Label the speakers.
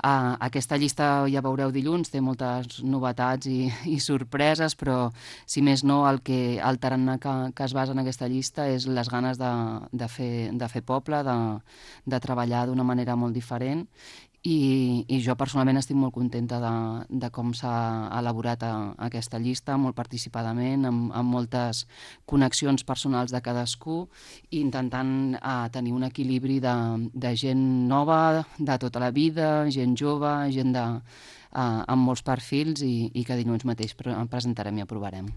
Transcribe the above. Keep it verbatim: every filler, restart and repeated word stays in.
Speaker 1: Uh, aquesta llista, ja veureu dilluns, té moltes novetats i, i sorpreses, però si més no, el, que, el tarannà que, que es basa en aquesta llista és les ganes de, de, fer, de fer poble, de, de treballar d'una manera molt diferent. I, i jo personalment estic molt contenta de, de com s'ha elaborat a, aquesta llista, molt participadament, amb, amb moltes connexions personals de cadascú, i intentant eh, tenir un equilibri de, de gent nova, de tota la vida, gent jove, gent de, eh, amb molts perfils, i, i que dilluns mateix pre presentarem i aprovarem.